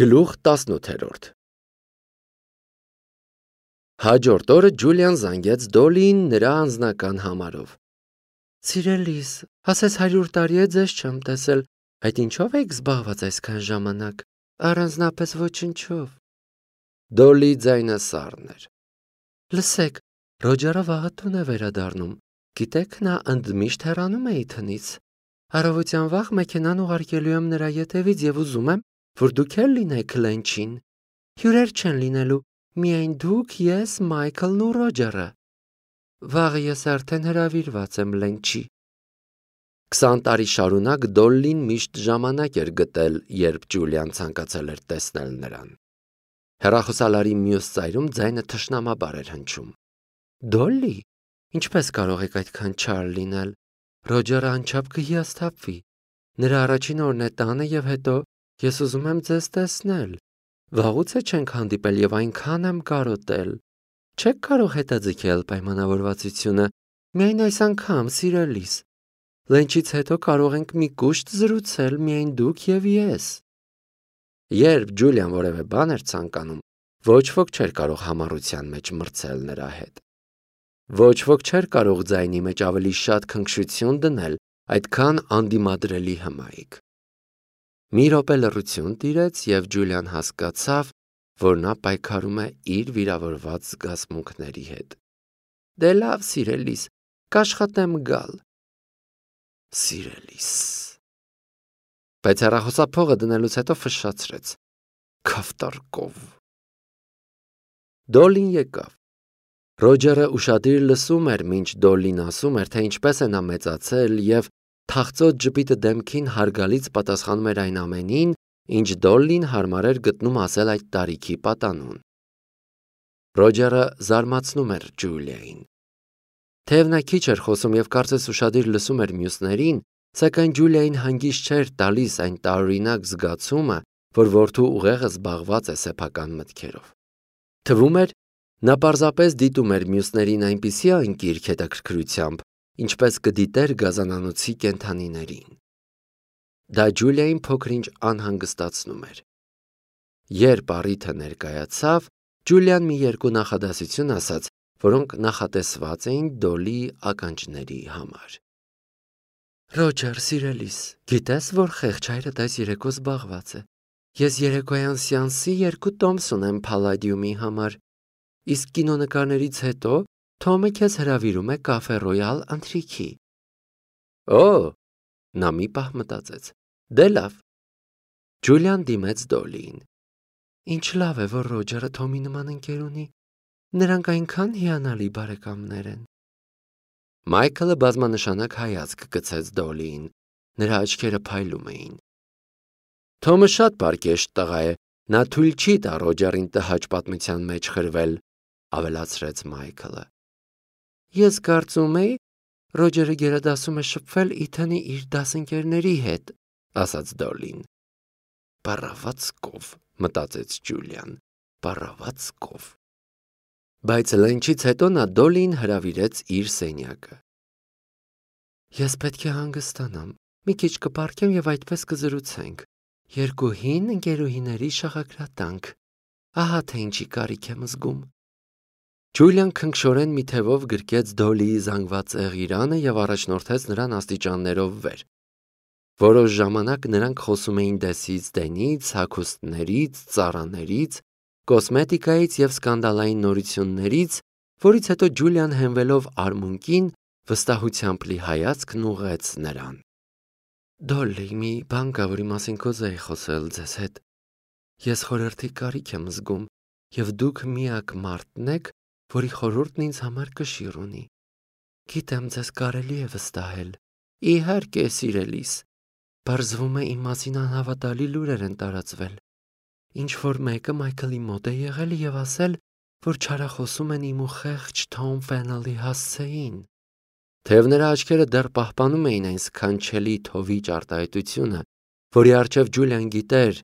Գլուխ 18 Հաջորդ օրը Ջուլիան զանգեց Դոլիին նրա անձնական համարով։ Սիրելիս, ասես 100 տարի է ձեզ չեմ տեսել, այդ ինչով եք զբաղված այսքան ժամանակ, առանձնապես ոչնչով։ Դոլի ձայնը սառն էր։ Լսեք, Ռոջերը վաղը տուն է վերադառնում, գիտեք նա ընդմիշտ հեռանում է իտնից։ Առավոտյան վաղ մեքենան ուղարկելու եմ նրա ետևից և ուզում եմ, որ դուք էլ լինեք լենչին։ Հյուրեր չեն լինելու, միայն դուք, ես, Մայքլն ու Ռոջերը։ Վաղը ես արդեն հրավիրված եմ լենչի։ 20 տարի շարունակ Դոլլին միշտ ժամանակ էր գտել, երբ Ջուլիան ցանկացել էր տեսնել նրան։ Հեռախոսալարի մյուս ծայրում ձայնը թշնամաբար էր հնչում։ Դոլլի, ինչպես կարող եք այդքան չար լինել։ Ռոջերը անչափ կհիասթափվի։ Նրա առաջին օրն է տանը և հետո ես ուզում եմ ձեզ տեսնել։ Վաղուց է չենք հանդիպել և այնքան եմ կարոտել։ Չեք կարող հետաձգել պայմանավորվածությունը, միայն այս անգամ, սիրելիս։ Լենչից հետո կարող ենք մի կուշտ զրուցել միայն դուք և ես։ Երբ Ջուլիան որևէ բան էր ցանկանում, ոչ ոք չէր կարող համառության մեջ մրցել նրա հետ։ Ոչ ոք չէր կարող ձայնի մեջ ավելի շատ քնքշություն դնել այդքան անդիմադրելի հմայք։ Մի րոպե լռություն տիրեց և Ջուլիան հասկացավ, որ նա պայքարում է իր վիրավորված զգացմունքների հետ։ Դե լավ, սիրելիս, կաշխատեմ գալ։ Սիրելիս։ Բայց հեռախոսափողը դնելուց հետո ֆշշացրեց. Քավտարկով։ Դոլին եկավ։ Ռոջերը ուշադիր լսում էր, մինչ Դոլին ասում էր, թե ինչպես է նա մեծացել և թախծոտ ժպիտը դեմքին հարգալից պատասխանում էր այն ամենին, ինչ Դոլլին հարմար էր գտնում ասել այդ տարիքի պատանուն։ Ռոջերը զարմացնում էր Ջուլիային։ Թեև նա քիչ էր խոսում և կարծես ուշադիր լսում էր մյուսներին, սակայն Ջուլիային հանգիստ չէր տալիս այն տարօրինակ զգացումը, որ որդու ուղեղը զբաղված է սեփական մտքերով։ Թվում էր, նա պարզապես դիտում էր մյուսներին այնպիսի անկիրք հետաքրքրությամբ, ինչպես կդիտեր գազանանոցի կենդանիներին։ Դա Ջուլիային փոքր-ինչ անհանգստացնում էր։ Երբ առիթը ներկայացավ, Ջուլիան մի երկու նախադասություն ասաց, որոնք նախատեսված էին Դոլիի ականջների համար։ Ռոջեր, սիրելիս, գիտես, որ խեղճ հայրդ այս երեկո զբաղված է։ Ես երեկոյան սեանսի 2 տոմս ունեմ Փալադիումի համար, իսկ կինոնկարներից հետո Թոմը քեզ հրավիրում է Կաֆե Ռոյալ ընթրիքի։ Օ, նա մի պահ մտածեց։ Դե լավ։ Ջուլիան դիմեց Դոլիին։ Ինչ լավ է, որ Ռոջերը Թոմի նման ընկեր ունի։ Նրանք այնքան հիանալի բարեկամներ են։ Մայքլը բազմանշանակ հայացք գցեց Դոլիին։ Նրա աչքերը փայլում էին։ Թոմը շատ պարկեշտ տղա է, նա թույլ չի տա Ռոջերին տհաճ պատմության մեջ խրվել, ավելացրեց Մայքլը։ Ես կարծում էի, Ռոջերը գերադասում է շփվել Իթանի իր դասընկերների հետ, ասաց Դոլին։ Պառավացկով, մտածեց Ջուլիան, պառավացկով։ Բայց լենչից հետո նա Դոլին հրավիրեց իր սենյակը։ Ես պետք է հանգստանամ, մի քիչ կպառկեմ և այդպես կզրուցենք։ 2 հին ընկերուհիների շաղակրատանք։ Ահա թե ինչի կարիք եմ զգում։ Ջուլիան քնքշորեն մի թևով գրկեց Դոլիի զանգված եղիրանը և առաջնորդեց նրան աստիճաններով վեր։ Որոշ ժամանակ նրանք խոսում էին դեսից դենից, հագուստներից, ծառաներից, կոսմետիկայից և սկանդալային նորություններից, որից հետո Ջուլիան հենվելով արմունկին վստահությամբ լի հայացքն ուղղեց նրան։ Դոլլի, մի բան կա, որի մասին կուզեի խոսել ձեզ հետ։ Ես խորհրդի կարիք եմ զգում, և դուք միակ մարդն եք, որի խորհուրդն ինձ համար կշիռ ունի։ Գիտեմ, ձեզ կարելի է վստահել։ Իհարկե, սիրելիս։ Պարզվում է իմ մասին անհավատալի լուրեր են տարածվել։ Ինչ-որ մեկը Մայքլի մոտ է եղել և ասել, որ չարախոսում են իմ ու խեղճ Թոմ Ֆեննելի հասցեին։ Թեև նրա աչքերը դեռ պահպանում էին այն սքանչելի թովիճ արտահայտությունը, որի առջև Ջուլիան գիտեր,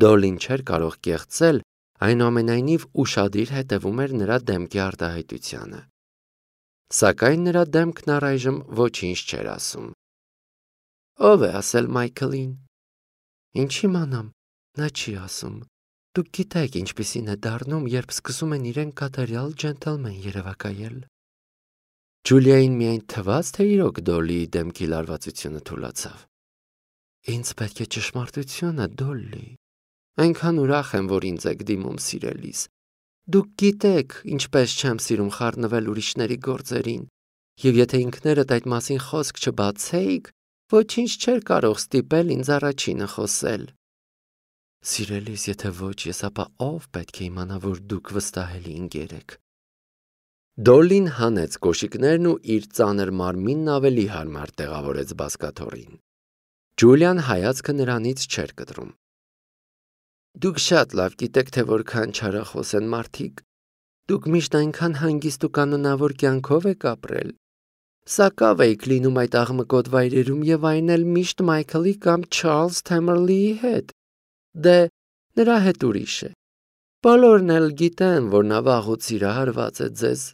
Դոլին չէր կարող կեղծել, այնուամենայնիվ ուշադիր հետևում էր նրա դեմքի արտահայտությանը։ Սակայն նրա դեմքն առայժմ ոչինչ չէր ասում։ Ո՞վ է ասել Մայքլին։ Ինչ իմանամ, նա չի ասում։ Դուք գիտեք ինչպիսին է դառնում, երբ սկսում են իրեն կատարյալ ջենթլմեն երևակայել։ Ջուլիային միայն թվաց, թե իրոք Դոլլիի դեմքի լարվածությունը թուլացավ։ Ինձ պետք է ճշմարտությունը, Դոլլի։ Այնքան ուրախ եմ, որ ինձ եք դիմում սիրելիս։ Դուք գիտեք, ինչպես չեմ սիրում խառնվել ուրիշների գործերին, եւ եթե ինքներդ այդ մասին խոսք չբացեիք, ոչինչ չէր կարող ստիպել ինձ առաջինը խոսել։ Սիրելիս, եթե ոչ ես, ապա ով պետք է իմանա, որ դուք վստահելի ընկեր եք։ Դոլլին հանեց կոշիկներն ու իր ծանր մարմինն ավելի հարմար տեղավորեց բազկաթոռին։ Ջուլիան հայացքը նրանից չէր կտրում։ Դուք շատ լավ գիտեք, թե որքան չարախոս են մարդիկ։ Դուք միշտ այնքան հանգիստ ու կանոնավոր կյանքով եք ապրել։ Սակավ էիք լինում այդ աղմկոտ վայրերում եւ այն էլ միշտ Մայքլի կամ Չարլզ Թեմերլիի հետ։ Դե, նրա հետ ուրիշ է։ Բոլորն էլ գիտեն, որ նա վաղուց սիրահարված է ձեզ։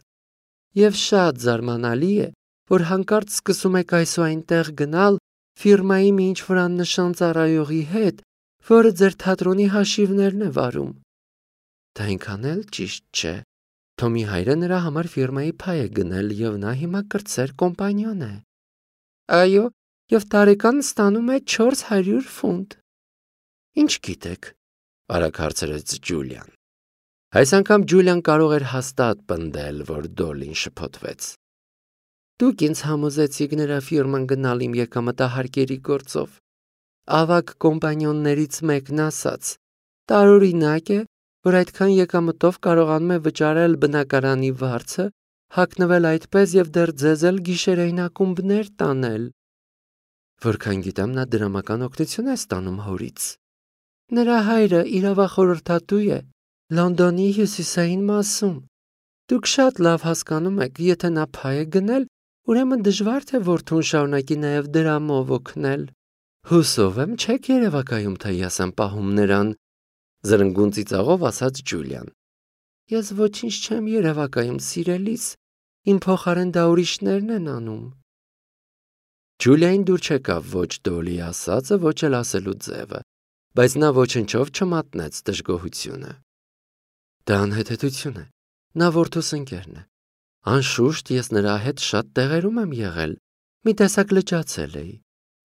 Եվ շատ զարմանալի է, որ հանկարծ սկսում եք այս ու այնտեղ գնալ ֆիրմայի մի ինչ-որ աննշան ծառայողի հետ, որը ձեր թատրոնի հաշիվներն է վարում։ Դա այնքան էլ ճիշտ չէ։ Թոմի հայրը նրա համար ֆիրմայի փայ է գնել եւ նա հիմա կրտսեր կոմպանիոն է։ Այո, եւ տարեկան ստանում է 400 ֆունտ։ Ինչ գիտեք, արագ հարցրեց Ջուլիան։ Այս անգամ Ջուլիան կարող էր հաստատ պնդել, որ Դոլլին շփոթվեց։ Դուք ինձ համոզեցիք նրա ֆիրման գնալ իմ եկամտահարկերի գործով։ Ավագ կոմպանիոններից մեկն ասաց. տարօրինակ է, որ այդքան եկամտով կարողանում է վճարել բնակարանի վարձը, հագնվել այդպես եւ դեռ ձեզ էլ գիշերային ակումբներ տանել։ Որքան գիտեմ, նա դրամական օգնություն է ստանում հորից։ Նրա հայրը իրավախորհրդատու է Լոնդոնի հյուսիսային մասում։ Դուք շատ լավ հասկանում եք, եթե նա փայ է գնել, ուրեմն դժվար թե որդուն շարունակի նաև դրամով օգնել։ Հուսով եմ չեք երևակայում, թե ես եմ պահում նրան, զրնգուն ծիծաղով ասաց Ջուլիան։ Ես ոչինչ չեմ երևակայում, սիրելիս, իմ փոխարեն դա ուրիշներն են անում։ Ջուլիային դուր չեկավ ոչ Դոլլի ասածը, ոչ էլ ասելու ձևը, բայց նա ոչնչով չմատնեց դժգոհությունը։ Դա անհեթեթություն է, նա որդուս ընկերն է։ Անշուշտ ես նրա հետ շատ տեղերում եմ եղել, մի տեսակ լճացել էի,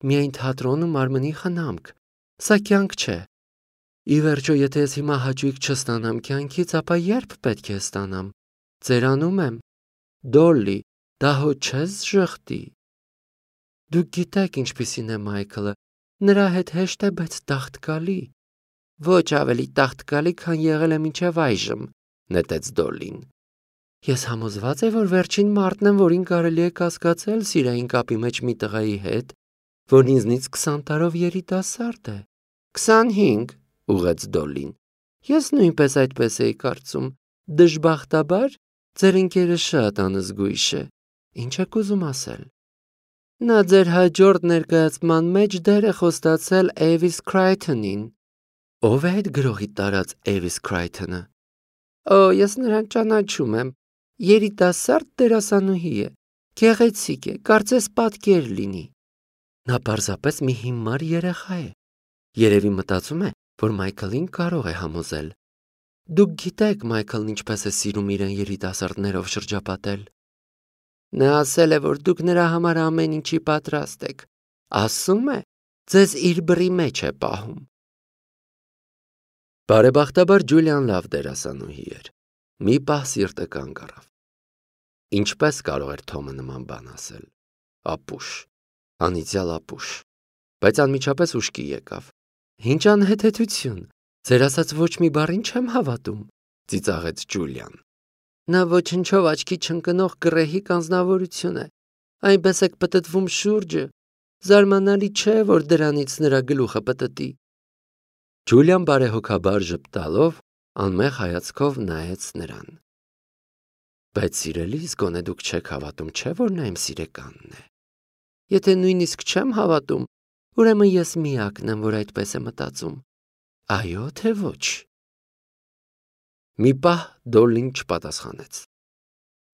միայն թատրոնում մարմնի խնամք, սա կյանք չէ։ Ի վերջո, եթե ես հիմա հաճույք չստանամ կյանքից, ապա երբ պետք է ստանամ։ Ծերանում եմ։ Դոլլի, դա հո չես ժխտի։ Դուք գիտեք ինչպիսին է Մայքլը, նրա հետ հեշտ է, բայց տաղտկալի։ Ոչ ավելի տաղտկալի, քան եղել է մինչև այժմ, նետեց Դոլլին։ Ես համոզված եմ, որ վերջին մարդն եմ, որին կարելի է կասկածել սիրային կապի մեջ մի տղայի հետ, որն ինձնից 20 տարով երիտասարդ է։ 25, ուղղեց Դոլլին։ Ես նույնպես այդպես էի կարծում։ Դժբախտաբար, ձեր ընկերը շատ անզգույշ է։ Ինչ եք ուզում ասել։ Նա ձեր հաջորդ ներկայացման մեջ դեր է խոստացել Էվիս Քրայթոնին։ Ո՞վ է այդ գրողի տարած Էվիս Քրայթոնը։ Օ, ես նրան ճանաչում եմ։ Երիտասարդ դերասանուհի է։ Գեղեցիկ է, կարծես պատկեր լինի։ Նա պարզապես մի հիմար երեխա է։ Երևի մտածում է, որ Մայքլին կարող է համոզել։ Դուք գիտեք Մայքլն ինչպես է սիրում իրեն երիտասարդներով շրջապատել։ Նա ասել է, որ դուք նրա համար ամեն ինչի պատրաստ եք։ Ասում է, ձեզ իր բռի մեջ է պահում։ Բարեբախտաբար Ջուլիան լավ դերասանուհի էր։ Մի պահ սիրտը կանգ առավ։ Ինչպես կարող էր Թոմը նման բան ասել։ Ապուշ, անիծյալ ապուշ, բայց անմիջապես ուշքի եկավ։ Ինչ անհեթեթություն, ձեր ասած ոչ մի բառին չեմ հավատում, ծիծաղեց Ջուլիան։ Նա ոչնչով աչքի չընկնող գռեհիկ անձնավորություն է, այնպես եք պտտվում շուրջը, զարմանալի չէ, որ դրանից նրա գլուխը պտտի։ Ջուլիան բարեհոգաբար ժպտալով անմեղ հայացքով նայեց նրան։ Բայց սիրելիս, գոնե դուք չեք հավատում, չէ՞ որ նա իմ սիրեկանն է։ Եթե նույնիսկ չեմ հավատում, ուրեմն ես միակն եմ, որ այդպես է մտածում։ Այո, թե ոչ։ Մի պահ Դոլլին չպատասխանեց։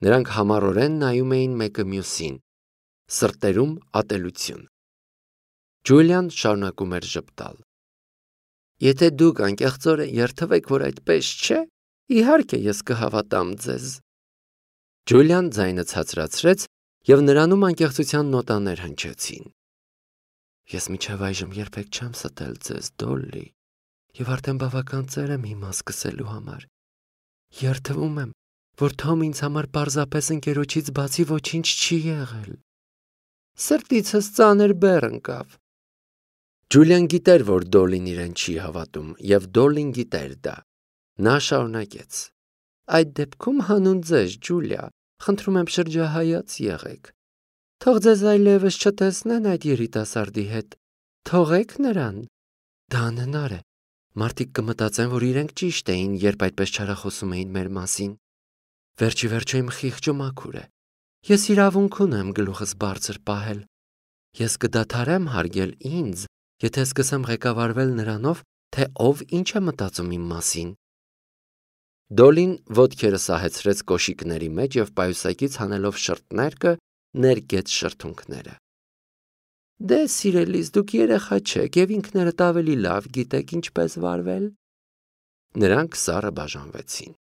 Նրանք համառորեն նայում էին մեկը մյուսին, սրտերում ատելություն։ Ջուլիան շարունակում էր ժպտալ։ Եթե դուք անկեղծորեն երթվեք, որ այդպես չէ, իհարկե ես կհավատամ ձեզ։ Ջուլիան ձայնը ցածրացրեց և նրանում անկեղծության նոտաներ հնչեցին։ Ես մինչև այժմ երբեք չեմ ստել ձեզ, Դոլլի, և արդեն բավական ծեր եմ հիմա սկսելու համար։ Երդվում եմ, որ Թոմ ինձ համար պարզապես ընկերոջից բացի ոչինչ չի եղել։ Սրտիցս ծանր բեռ ընկավ։ Ջուլիան գիտեր, որ Դոլլին իրեն չի հավատում, և Դոլլին գիտեր դա։ Նա շարունակեց. Այդ դեպքում հանուն ձեզ, Ջուլիա, խնդրում եմ շրջահայաց եղեք։ Թող ձեզ այլևս չտեսնեն այդ երիտասարդի հետ։ Թողեք նրան։ Դա անհնար է։ Մարդիկ կմտածեն, որ իրենք ճիշտ էին, երբ այդպես չարախոսում էին մեր մասին։ Վերջի վերջո իմ խիղճը մաքուր է։ Ես իրավունք ունեմ գլուխս բարձր պահել։ Ես կդադարեմ հարգել ինձ, եթե սկսեմ ղեկավարվել նրանով, թե ով ինչ է մտածում իմ մասին։ Դոլին ոտքերը սահեցրեց կոշիկների մեջ և պայուսակից հանելով շրթներկը ներկեց շրթունքները։ Դե, սիրելիս, դուք երեխա չեք և ինքներդ ավելի լավ գիտեք ինչպես վարվել։ Նրանք սառը բաժանվեցին։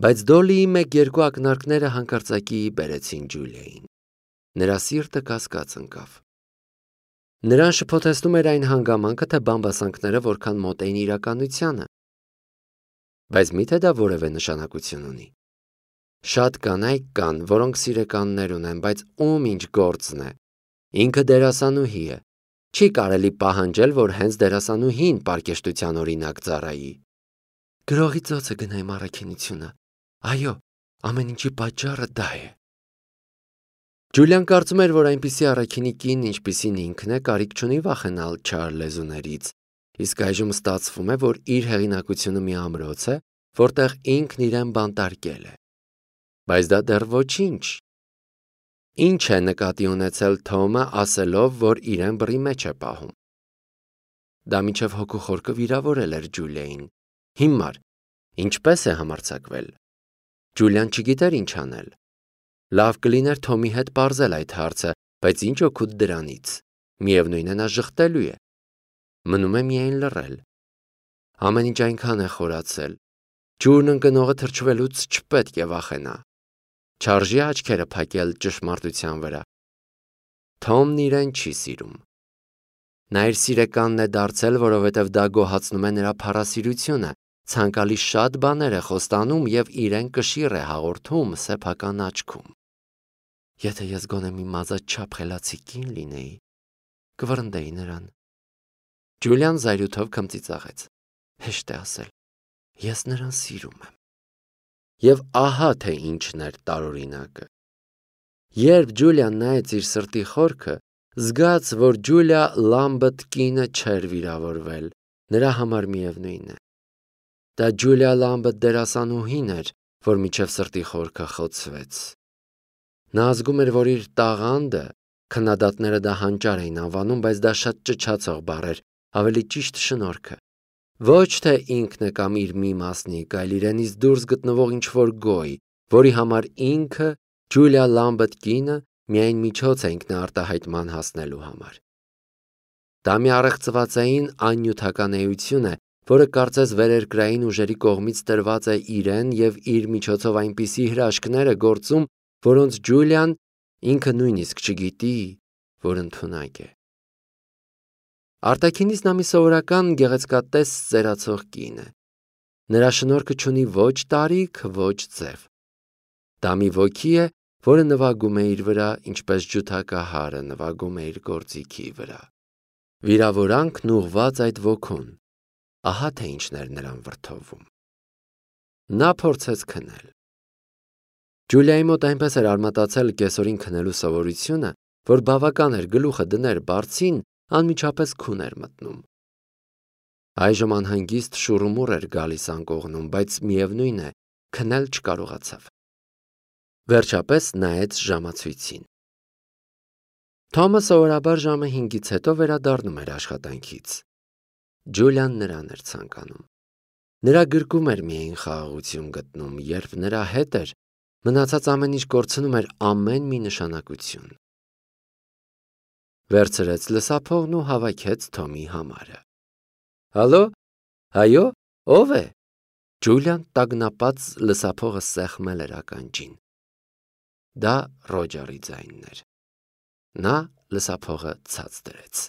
Բայց Դոլիի մեկ-երկու ակնարկները հանկարծակի բերեցին Ջուլիային։ Նրա սիրտը կասկած ընկավ։ Նրան շփոթեցնում էր այն հանգամանքը, թե բամբասանքները որքան մոտ էին իրականությանը։ Բայց միթե դա որևէ նշանակություն ունի։ Շատ կանայք կան, որոնք սիրեկաններ ունեն, բայց ում ինչ գործն է։ Ինքը դերասանուհի է։ Չի կարելի պահանջել, որ հենց դերասանուհին պարկեշտության օրինակ ծառայի։ Գրողի ծոցը գնայմ առաքինությունը։ Այո, ամեն ինչի պատճառը դա է։ Ջուլիան կարծում էր, որ այնպիսի առաքինի կին, ինչպիսին ինքն է, կարիք չունի վախենալ չար լեզուներից, իսկ այժմ ստացվում է, որ իր հեղինակությունը մի ամրոց է, որտեղ ինքն իրեն բանտարկել է։ Բայց դա դեռ ոչինչ։ Ինչ է նկատի ունեցել Թոմը, ասելով, որ իրեն բռի մեջ է պահում։ Դա մինչև հոգու խորքը վիրավորել էր Ջուլիային։ Հիմար, ինչպես է համարձակվել։ Ջուլիան չգիտեր ինչ անել։ Լավ կլիներ Թոմի հետ պարզել այդ հարցը, բայց ինչ օգուտ դրանից։ Միևնույն է, նա ժխտելու է։ Մնում է միայն լռել։ Ամեն ինչ այնքան է խորացել։ Ջուրն ընկնողը թրջվելուց չպետք է վախենա։ Չարժի աչքերը փակել ճշմարտության վրա։ Թոմն իրեն չի սիրում։ Նա իր սիրեկանն է դարձել, որովհետև դա գոհացնում է նրա փառասիրությունը, ցանկալի շատ բաներ է խոստանում և իրեն կշիռ է հաղորդում սեփական աչքում։ Եթե ես գոնե մի մազաչափ խելացի կին լինեի, կվռնդեի նրան։ Ջուլիան զայրույթով քմծիծաղեց։ Հեշտ է ասել։ Ես նրան սիրում եմ։ Եվ ահա թե ինչն էր տարօրինակը։ Երբ Ջուլիան նայեց իր սրտի խորքը, զգաց, որ Ջուլիա Լամբըթ կինը չէր վիրավորվել, նրա համար միևնույն է։ Դա Ջուլիա Լամբըթ դերասանուհին էր, որ մինչև սրտի խորքը խոցվեց։ Նա զգում էր, որ իր տաղանդը, քննադատները դա հանճար էին անվանում, բայց դա շատ ճչացող բառ էր, ավելի ճիշտ շնորհքը։ Ոչ թե ինքն է կամ իր մի մասնիկ, այլ իրենից դուրս գտնվող ինչ-որ գոյ, որի համար ինքը, Ջուլիա Լամբըթ կինը, միայն միջոց է ինքնարտահայտման հասնելու համար։ Դա մի առեղծվածային աննյութական էություն է, որը կարծես վերերկրային ուժերի կողմից տրված է իրեն և իր միջոցով այնպիսի հրաշքներ է գործում, որոնց Ջուլիան ինքը նույնիսկ չգիտի, որ ընդունակ է։ Արտաքինից նա մի սովորական գեղեցկատես ծերացող կին է։ Նրա շնորհքը չունի ոչ տարիք, ոչ ձև։ Դա մի ոգի է, որը նվագում է իր վրա, ինչպես ջութակահարը նվագում է իր գործիքի վրա։ Վիրավորանքն ուղղված այդ ոգուն։ Ահա թե ինչն էր նրան վրդովում։ Նա փորձեց քնել։ Ջուլիայի մոտ այնպես էր արմատացել կեսօրին քնելու սովորությունը, որ բավական էր գլուխը դներ բարձին, անմիջապես քուն էր մտնում։ Այժմ անհանգիստ շուռումուռ էր գալիս անկողնում, բայց միևնույն է, քնել չկարողացավ։ Վերջապես նայեց ժամացույցին։ Թոմը սովորաբար ժամը 5-ից հետո վերադառնում էր աշխատանքից։ Ջուլիան նրան էր ցանկանում։ Նրա գրկում էր միայն խաղաղություն գտնում, երբ նրա հետ էր, մնացած ամեն ինչ կորցնում էր ամեն մի նշանակություն։ Վերցրեց լսափողն ու հավաքեց Թոմի համարը։ Հալո, Այո, ով է։ Ջուլիան տագնապած լսափողը սեղմել էր ականջին։ Դա Ռոջերի ձայնն էր։ Նա լսափողը ցած դրեց։